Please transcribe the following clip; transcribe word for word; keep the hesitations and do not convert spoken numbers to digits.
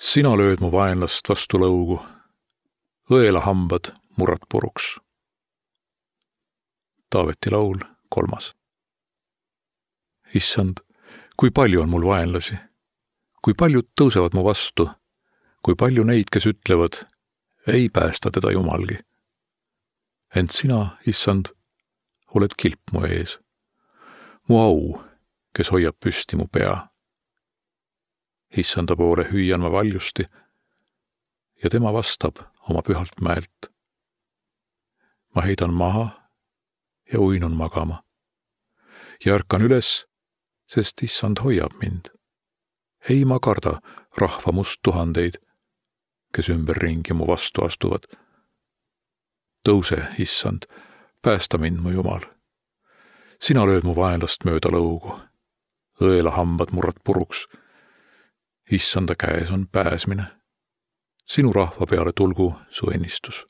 Sina lööd mu vaenlast vastu lõugu, õela hambad murrad puruks. Taaveti laul, kolmas. Issand, kui palju on mul vaenlasi, kui paljud tõusevad mu vastu, kui palju neid, kes ütlevad, ei päästa teda Jumalgi. Ent sina, issand, oled kilp mu ees, mu au, kes hoiab püsti mu pea. Issanda poole hüüan ma valjusti ja tema vastab oma pühalt mäelt. Ma heidan maha ja uinun magama ja ärkan üles, sest issand hoiab mind. Ei ma karda rahva must tuhandeid, kes ümberringi mu vastu astuvad. Tõuse, issand, päästa mind, mu Jumal. Sina lööd mu vaenlast mööda lõugu, õela hambad murrad puruks. Issanda käes on pääsmine. Sinu rahva peale tulgu su ennistus.